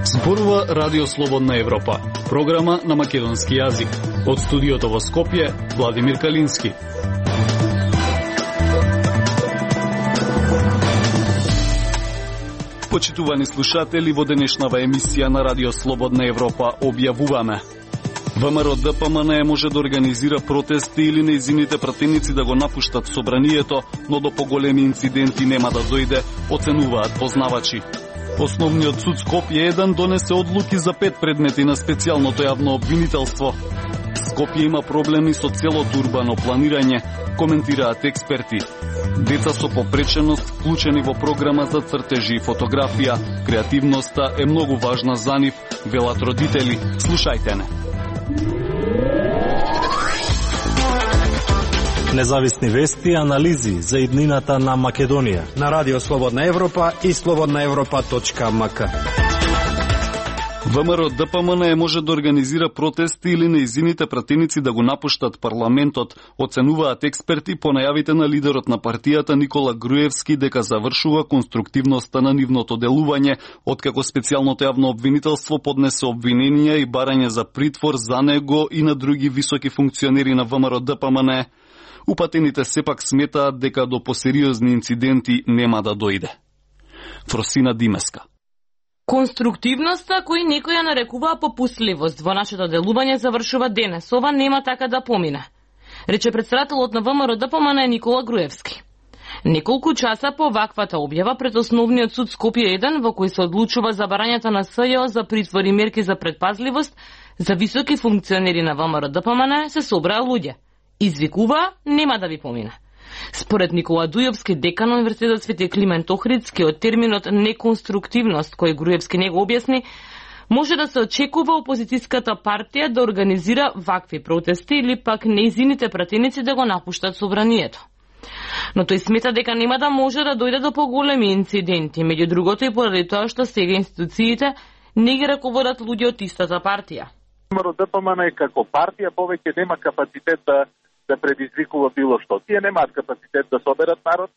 Зборува Радио Слободна Европа, програма на македонски јазик. Од студиото во Скопје, Владимир Калински. Почитувани слушатели, во денешнава емисија на Радио Слободна Европа објавуваме: ВМРО ДПМН може да организира протести или нејзините пратеници да го напуштат собранието, но до поголеми инциденти нема да дојде, оценуваат познавачи. Основниот суд Скопје 1 донесе одлуки за 5 предмети на специјалното јавно обвинителство. Скопје има проблеми со целото урбано планирање, коментираат експерти. Деца со попреченост вклучени во програма за цртежи и фотографија. Креативноста е многу важна за нив, велат родители. Слушајте не. Независни вести и анализи за иднината на Македонија на Радио Слободна Европа и slobodnaevropa.mk. ВМРО ДПМН може да организира протести или нејзините пратеници да го напуштат парламентот, оценуваат експерти по најавите на лидерот на партијата Никола Груевски дека завршува конструктивноста на нивното делување, откако специјалното јавно обвинителство поднесе обвиненија и барање за притвор за него и на други високи функционери на ВМРО ДПМН. Упатените сепак сметаат дека до посериозни инциденти нема да дојде. Фросина Димеска. Конструктивноста кој некој ја нарекуваа попустливост во нашето делување завршува денес. Ова нема така да помине, рече претседателот на ВМРО ДПМН Никола Груевски. Неколку часа по ваквата објава пред Основниот суд Скопје 1, во кој се одлучува за барањето на СЈО за притвор и мерки за предпазливост за високи функционери на ВМРО ДПМН, се собраа луѓе. Извикува, нема да ви помине. Според Никола Дујовски, декан на Универзитетот Свети Климент Охридски, од терминот неконструктивност, кој Груевски не го објасни, може да се очекува опозицијската партија да организира вакви протести или пак нејзините пратеници да го напуштат собранието. Но тој смета дека нема да може да дојде до поголеми инциденти, меѓу другото и поради тоа што сега институциите не ги раководат луѓе од истата партија. ВМРО ДПМН како партија повеќе нема капацитет да предизвикува било што. Тие немаат капацитет да соберат народ,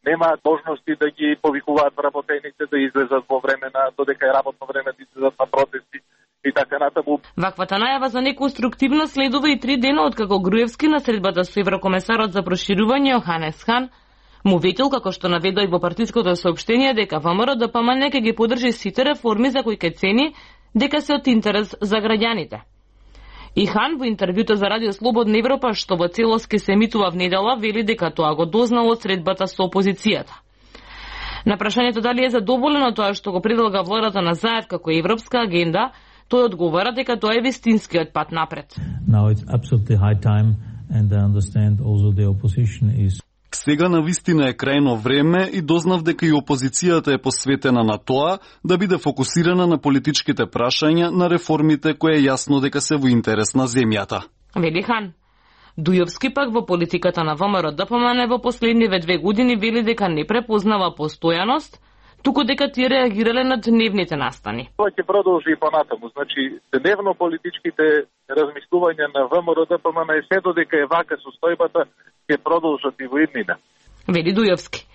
немаат можности да ги повикуваат вработените да излезат во време на додека е работно време да излезат на протести и така натаму. Ваквата најава за неконструктивност следува и 3 дена откако Груевски на средбата со еврокомесарот за проширување Йоханес Хан му ветил, како што наведува и во партиското соопштение, дека ВМРО ДПМН ќе ги поддржи сите реформи за кои ќе цени дека се од интерес за граѓаните. И Хан во интервјуто за Радио Слободна Европа, што во целост ке се емитува в недела, вели дека тоа го дознал од средбата со опозицијата. На прашањето дали е задоволен од тоа што го предлага владата на ЗАЕВ како европска агенда, тој одговара дека тоа е вистинскиот пат напред. Now it's absolutely high time and I understand also the opposition is. Сега навистина е крајно време и дознав дека и опозицијата е посветена на тоа да биде фокусирана на политичките прашања, на реформите кои е јасно дека се во интерес на земјата. Вели Хан. Дујовски пак во политиката на ВМРО ДПМН во последниве 2 години вели дека не препознава постојаност, туку дека тие реагирале на дневните настани. Тоа ќе продолжи и понатаму. Значи, дневно политичките размислувања на ВМРО ДПМН е се додека е вака состојбата, ќе продолжат и во иднина. Вели Дујовски.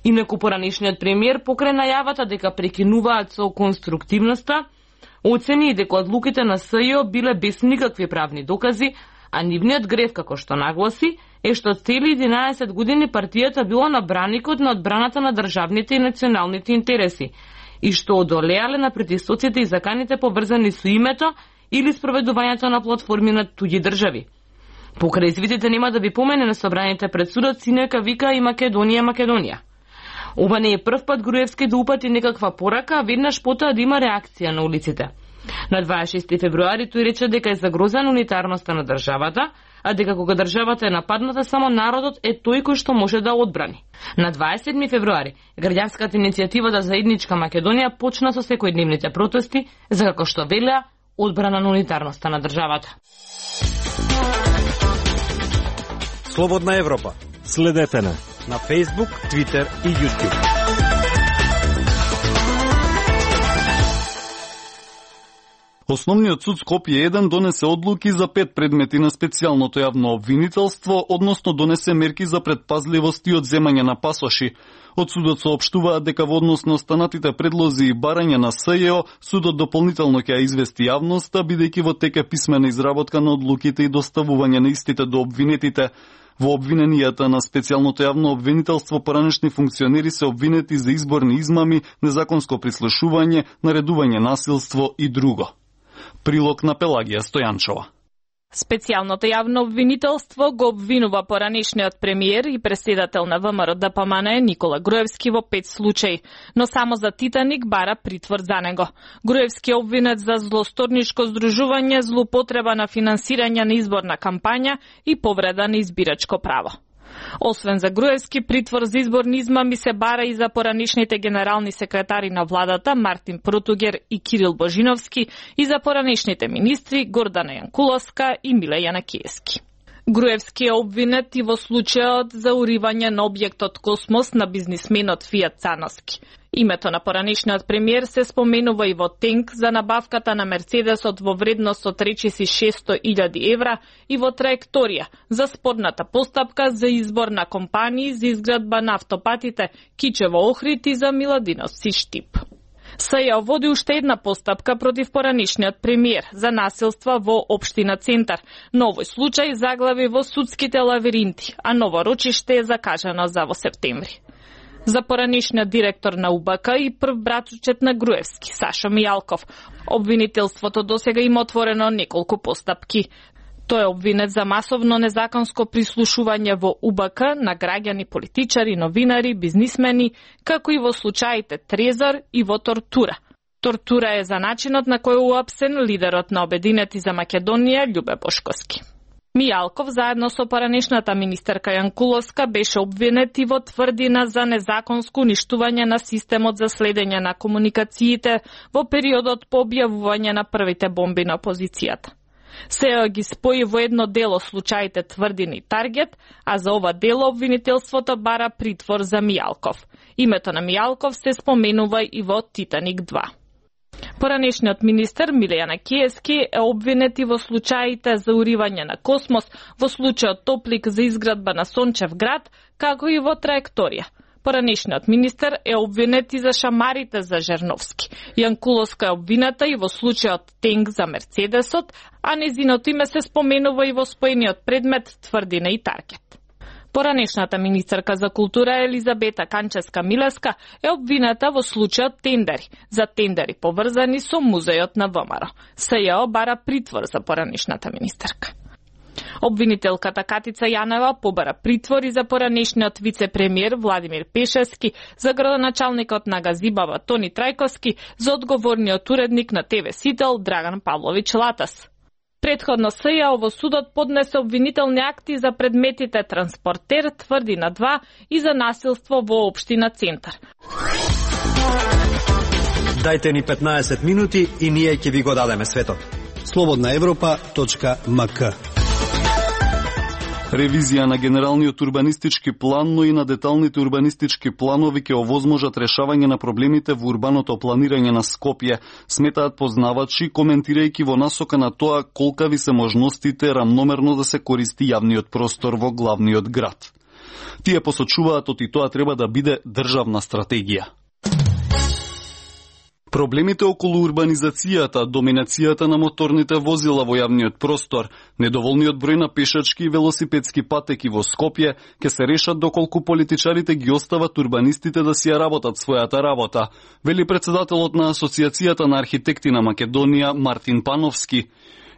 Инаку поранишниот премиер покрај најавата дека прекинуваат со конструктивноста, оцени дека одлуките на СЈО биле без никакви правни докази, а нивниот греф, како што нагласи, е што цели 11 години партијата била на браникот на одбраната на државните и националните интереси и што одолеале на притисоците и заканите поврзани со името или спроведувањето на платформи на туѓи држави. Покрај извидите нема да ви помене на собраните пред судот, синојка вика и Македонија. Ова не е прв пат Груевски да упати некаква порака, а веднаш потоа да има реакција на улиците. На 26 февруари тој рече дека е загрозена унитарноста на државата, а дека кога државата е нападната, само народот е тој кој што може да одбрани. На 27 февруари граѓанската иницијатива за заедничка Македонија почна со секојдневните протести за, како што велеа, одбрана на унитарноста на државата. Слободна Европа. Следете на Facebook, Twitter и YouTube. Основниот суд Скопје 1 донесе одлуки за 5 предмети на специјалното јавно обвинителство, односно донесе мерки за предпазливост и одземање на пасоши. Од судот соопштуваат дека во однос на останатите предлози и барања на СЈО, судот дополнително ќе ја извести јавноста, бидејќи во тек е писмена изработка на одлуките и доставување на истите до обвинетите. Во обвиненијата на специјалното јавно обвинителство поранешни функционери се обвинети за изборни измами, незаконско прислушување, наредување насилство и друго. Прилог на Пелагија Стојанчова. Специјалното јавно обвинителство го обвинува поранешниот премиер и преседател на ВМРО ДПМН Никола Груевски во 5 случаи, но само за Титаник бара притвор за него. Груевски е обвинет за злосторничко здружување, злоупотреба на финансирање на изборна кампања и повреда на избирачко право. Освен за Груевски, притвор за изборни измами се бара и за поранешните генерални секретари на владата Мартин Протугер и Кирил Божиновски и за поранешните министри Гордана Јанкуловска и Миле Јанакиевски. Груевски е обвинет и во случајот за уривање на објектот Космос на бизнисменот Фијат Цановски. Името на поранешниот премиер се споменува и во тенк за набавката на Мерцедесот во вредност од речиси 600.000 евра и во траекторија за спорната постапка за избор на компании за изградба на автопатите Кичево-Охрид и за Миладиновци-Штип. СЈО води уште една постапка против поранешниот премиер за насилства во општина Центар, но овој случај заглави во судските лавиринти, а ново рочиште е закажано за во септември. За поранешниот директор на УБК и прв братучет на Груевски, Сашо Мијалков, обвинителството досега има отворено неколку постапки. Тој е обвинет за масовно незаконско прислушување во УБК на граѓани, политичари, новинари, бизнисмени, како и во случаите Трезор и во тортура. Тортура е за начинот на кој уапсен лидерот на Обединети за Македонија Љубе Бошковски. Мијалков заедно со поранешната министерка Јанкуловска беше обвинет и во тврдина за незаконско уништување на системот за следење на комуникациите во периодот по објавување на првите бомби на опозицијата. СЈО ги спои во едно дело случаите Тврдина и Таргет, а за ова дело обвинителството бара притвор за Мијалков. Името на Мијалков се споменува и во Титаник 2. Поранешниот министер Миле Јанакиевски е обвинет и во случаите за уривање на Космос, во случајот Топлик за изградба на Сончев град, како и во траекторија. Поранешниот министер е обвинет и за шамарите за Жерновски. Јанкуловска е обвината и во случајот тенк за Мерцедесот, а незиното име се споменува и во споениот предмет Тврдина и Таргет. Поранешната министерка за култура Елизабета Канческа-Милеска е обвината во случајот тендери, за тендери поврзани со музејот на ВМРО. СЈО бара притвор за поранешната министерка. Обвинителката Катица Јанева побара притвор и за поранешниот вице-премиер Владимир Пешевски, за градоначалникот на Газибава Тони Трајковски, за одговорниот уредник на ТВ Сител Драган Павлович Латас. Предходно СЈО во судот поднесе обвинителни акти за предметите Транспортер, Тврдина 2 и за насилство во општина Центар. Дајте ни 15 минути и ние ќе ви го дадеме светот. slobodnaevropa.mk. Ревизија на генералниот урбанистички план, но и на деталните урбанистички планови ќе овозможат решавање на проблемите во урбаното планирање на Скопје, сметаат познавачи, коментирајќи во насока на тоа колкави се можностите рамномерно да се користи јавниот простор во главниот град. Тие посочуваат оти тоа треба да биде државна стратегија. Проблемите околу урбанизацијата, доминацијата на моторните возила во јавниот простор, недоволниот број на пешачки и велосипедски патеки во Скопје ќе се решат доколку политичарите ги остават урбанистите да си ја работат својата работа, вели председателот на Асоциацијата на архитекти на Македонија Мартин Пановски.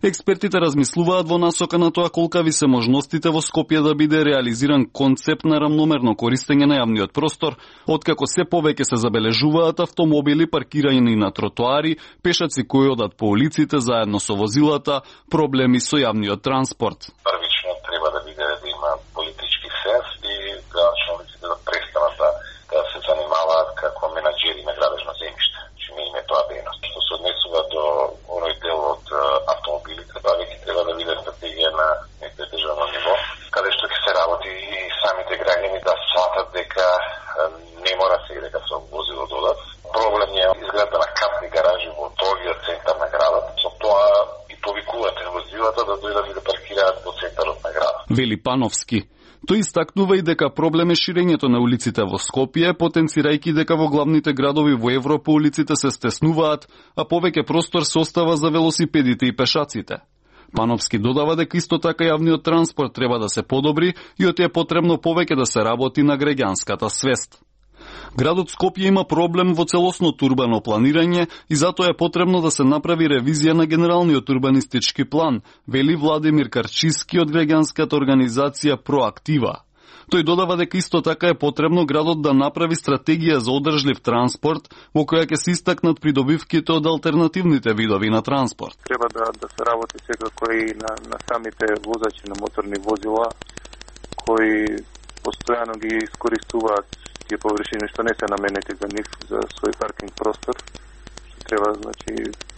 Експертите размислуваат во насока на тоа колкави се можностите во Скопје да биде реализиран концепт на рамномерно користење на јавниот простор, откако се повеќе се забележуваат автомобили паркирани на тротоари, пешаци кои одат по улиците заедно со возилата, проблеми со јавниот транспорт. Првично треба да биде да има политички сенс и градачните да престанат да се занимаваат како менаџери на градежно земјиште. Не им е тоа дејност. Што се однесува до оној дел од автомобилите, тоа веќе треба да биде стратегија на некој државно ниво, каде што ќе се работи и самите граѓани да сватат дека не мора се дека со возило додат. Проблем е изградба на капни гаражи во долгиот центар на градот. Со тоа вели Пановски. Тој истакнува и дека проблем е ширењето на улиците во Скопје, потенцирајќи дека во главните градови во Европа улиците се стеснуваат, а повеќе простор се остава за велосипедите и пешаците. Пановски додава дека исто така јавниот транспорт треба да се подобри и оти е потребно повеќе да се работи на граѓанската свест. Градот Скопје има проблем во целосното урбано планирање и затоа е потребно да се направи ревизија на генералниот урбанистички план, вели Владимир Карчиски од граѓанската организација Проактива. Тој додава дека исто така е потребно градот да направи стратегија за одржлив транспорт во која ќе се истакнат придобивките од алтернативните видови на транспорт. Треба да се работи секако и на самите возачи на моторни возила кои постојано ги искористуваат тие површини што не се наменети за нив за свој паркинг простор. Треба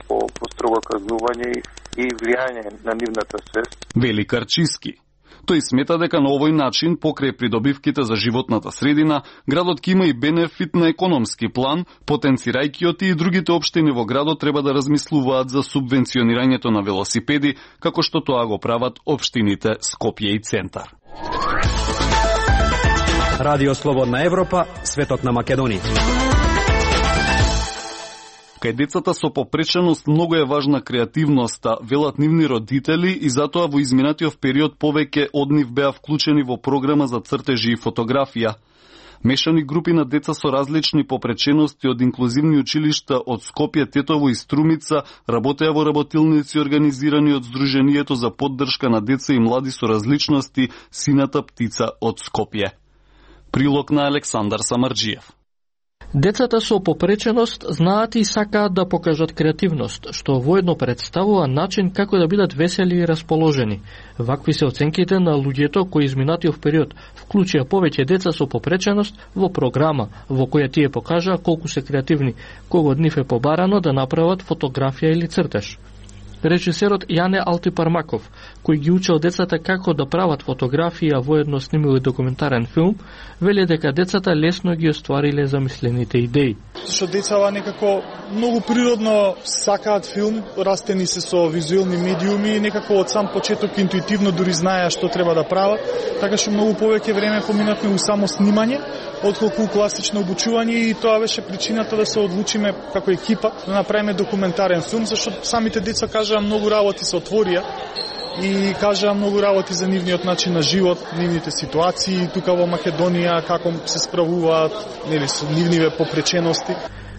по строго казнување и влијање на нивната свест. Вели Карчиски. Тој смета дека на овој начин, покрај придобивките за животната средина, градот ќе има и бенефит на економски план, потенцирајќи оти и другите општини во градот треба да размислуваат за субвенционирањето на велосипеди, како што тоа го прават општините Скопје и Центар. Радио Слободна Европа, светот на Македонија. Кај децата со попреченост многу е важна креативноста, велат нивни родители и затоа во изминатиот период повеќе од нив беа вклучени во програма за цртежи и фотографија. Мешани групи на деца со различни попречености од инклузивни училишта од Скопје, Тетово и Струмица работеа во работилници организирани од Сдруженијето за поддршка на деца и млади со различности Сината птица од Скопје. Прилог на Александар Самарджиев. Децата со попреченост знаат и сакаат да покажат креативност, што воедно представува начин како да бидат весели и расположени. Вакви се оценките на луѓето кои изминатиот период вклучија повеќе деца со попреченост во програма, во која тие покажаа колку се креативни, кога од нив е побарано да направат фотографија или цртеж. Режисерот Јане Алтипармаков, кој ги учел децата како да прават фотографија, воедно снимил и документарен филм, вели дека децата лесно ги оствариле замислените идеи. Зашто децата некако многу природно сакаат филм, растени се со визуелни медиуми и некако од сам почеток интуитивно дури знаеа што треба да прават, така што многу повеќе време поминавме у само снимање, отколку класично обучување и тоа беше причината да се одлучиме како екипа да направиме документарен филм, зашто самите деца кажаа многу работи се отворија и кажаа многу работи за нивниот начин на живот, нивните ситуации тука во Македонија, како се справуваат, нели со нивниве попречености.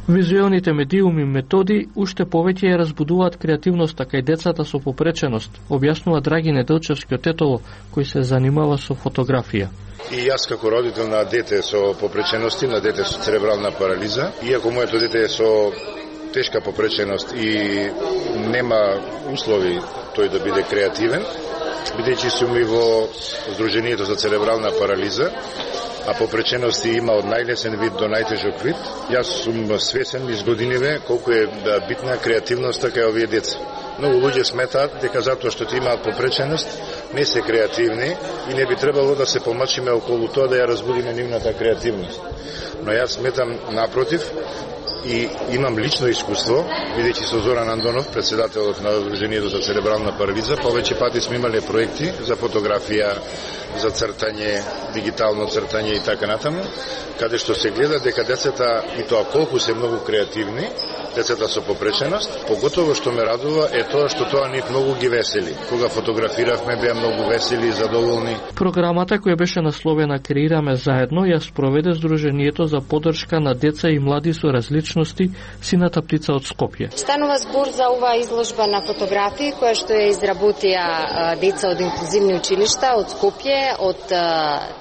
Визуелните медиуми и методи уште повеќе ја разбудуваат креативноста кај децата со попреченост, објаснува Драги Неделчевски од Тетово, кој се занимава со фотографија. И јас како родител на дете со попречености, на дете со церебрална парализа, иако моето дете е со тешка попреченост и нема услови тој да биде креативен, бидејќи сум и во Сдруженијето за церебрална парализа, а попречености има од најлесен вид до најтежок вид. Јас сум свесен низ годиниве колку е битна креативноста кај овие деца. Многу луѓе сметаат дека затоа што ти имаат попреченост не се креативни и не би требало да се помачиме околу тоа да ја разбудиме нивната креативност. Но јас сметам напротив и имам лично искуство, бидејќи со Зоран Андонов, председателот на Сдруженијето за церебрална парализа, повеќе пати сме имале проекти за фотографија, за цртање, дигитално цртање и така натаму, каде што се гледа дека децата, и тоа колку се многу креативни, децата со попреченост, поготово што ме радува е тоа што тоа нив многу ги весели. Кога фотографиравме, беа многу весели и задоволни. Програмата која беше насловена Креираме заедно ја спроведе Сдруженијето за поддршка на деца и млади со различности Сината птица од Скопје. Станува збор за оваа изложба на фотографии која што ја изработија деца од инклузивни училишта од Скопје, од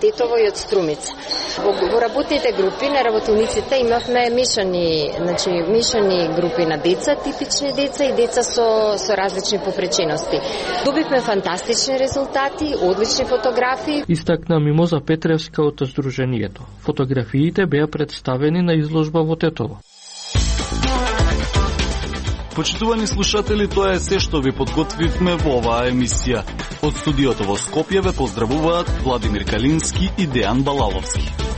Тетово и од Струмица. Во работните групи на работилниците имавме мешани групи на деца, типични деца и деца со различни попречености. Добивме фантастични резултати, одлични фотографии. Истакна Мимоза Петревска од Сдруженијето. Фотографиите беа представени на изложба во Тетово. Почитувани слушатели, тоа е се што ви подготвивме во оваа емисија. Од студиото во Скопје ве поздравуваат Владимир Калински и Дејан Балаловски.